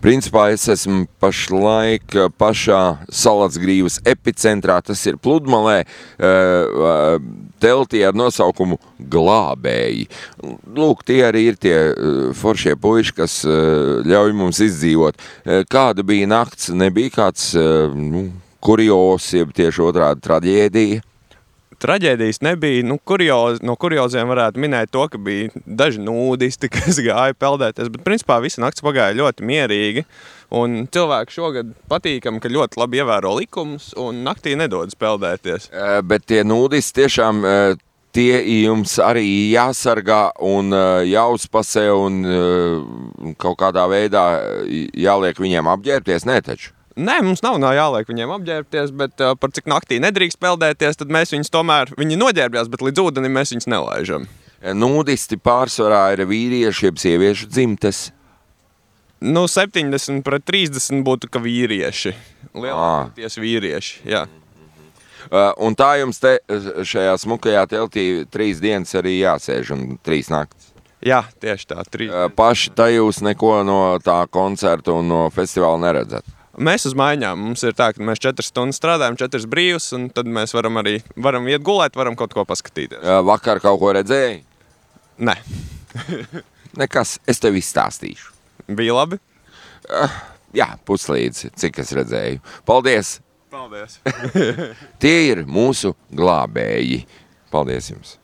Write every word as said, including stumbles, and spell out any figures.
Principā es esmu pašlaik pašā Salacgrīvas epicentrā, tas ir Pludmalē, teltī ar nosaukumu Glābēji. Lūk, tie arī ir tie foršie puiši, kas ļauj mums izdzīvot. Kāda bija nakts? Nebija kāds nu, kurios, jeb tieši otrādi traģēdija? Traģēdijas nebija. Nu, kurioz, no kurioziem varētu minēt to, ka bija daži nūdisti, kas gāja peldēties, bet principā visa nakts pagāja ļoti mierīgi. Un cilvēki šogad patīkam, ka ļoti labi ievēro likumus un naktī nedodas peldēties. Bet tie nūdisti tiešām tie jums arī jāsargā un jāuzpasē un kaut kādā veidā jāliek viņiem apģērbties, ne taču? Nē, mums nav, nav jāliek viņiem apģērbties, bet uh, par cik naktī nedrīkst peldēties, tad mēs viņus tomēr, viņi noģērbjās, bet līdz ūdenim mēs viņus nelaižam. Nūdisti pārsvarā ir vīrieši, jeb sieviešu dzimtes? Nu, septiņdesmit pret trīsdesmit būtu, ka vīrieši. Lielākoties vīrieši, jā. Uh, un tā jums te šajā smukajā teltī trīs dienas arī jāsēž un trīs naktis? Jā, tieši tā. Trīs. Uh, paši tā jūs neko no tā koncerta un no festivāla neredzat? Mēs uz maiņām. Mums ir tā, ka mēs četras stundas strādājam, četras brīvas, un tad mēs varam arī varam iet gulēt, varam kaut ko paskatīties. Vakar kaut ko redzēji? Nē. Nekas, es tev izstāstīšu. Bija labi? Uh, jā, puslīdz, cik es redzēju. Paldies! Paldies! Tie ir mūsu glābēji. Paldies jums!